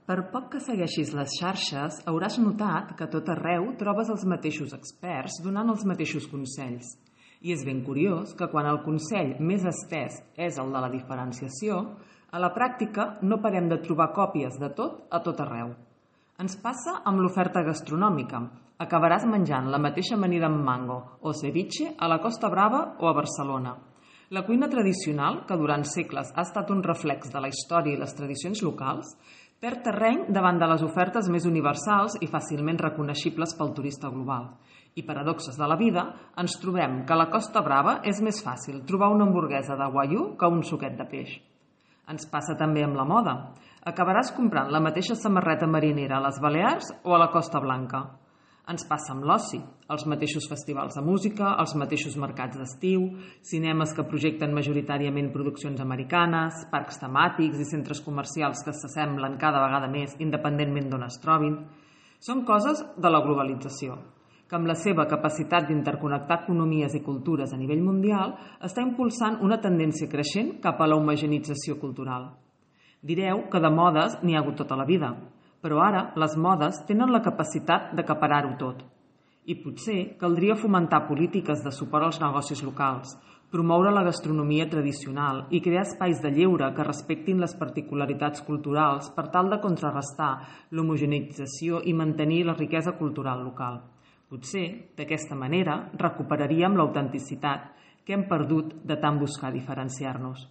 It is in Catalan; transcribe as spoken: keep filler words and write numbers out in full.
Per poc que segueixis les xarxes, hauràs notat que a tot arreu trobes els mateixos experts donant els mateixos consells. I és ben curiós que quan el consell més estès és el de la diferenciació, a la pràctica no parem de trobar còpies de tot a tot arreu. Ens passa amb l'oferta gastronòmica. Acabaràs menjant la mateixa amanida amb mango o ceviche a la Costa Brava o a Barcelona. La cuina tradicional, que durant segles ha estat un reflex de la història i les tradicions locals, perd terreny davant de les ofertes més universals i fàcilment reconeixibles pel turista global. I paradoxes de la vida, ens trobem que a la Costa Brava és més fàcil trobar una hamburguesa de guaiú que un suquet de peix. Ens passa també amb la moda. Acabaràs comprant la mateixa samarreta marinera a les Balears o a la Costa Blanca. Ens passa amb l'oci, els mateixos festivals de música, els mateixos mercats d'estiu, cinemes que projecten majoritàriament produccions americanes, parcs temàtics i centres comercials que s'assemblen cada vegada més independentment d'on es trobin. Són coses de la globalització, que amb la seva capacitat d'interconnectar economies i cultures a nivell mundial està impulsant una tendència creixent cap a la homogeneïtzació cultural. Direu que de modes n'hi ha hagut tota la vida, però ara les modes tenen la capacitat d'acaparar-ho tot. I potser caldria fomentar polítiques de suport als negocis locals, promoure la gastronomia tradicional i crear espais de lleure que respectin les particularitats culturals per tal de contrarrestar l'homogeneïtzació i mantenir la riquesa cultural local. Potser, d'aquesta manera, recuperaríem l'autenticitat que hem perdut de tant buscar diferenciar-nos.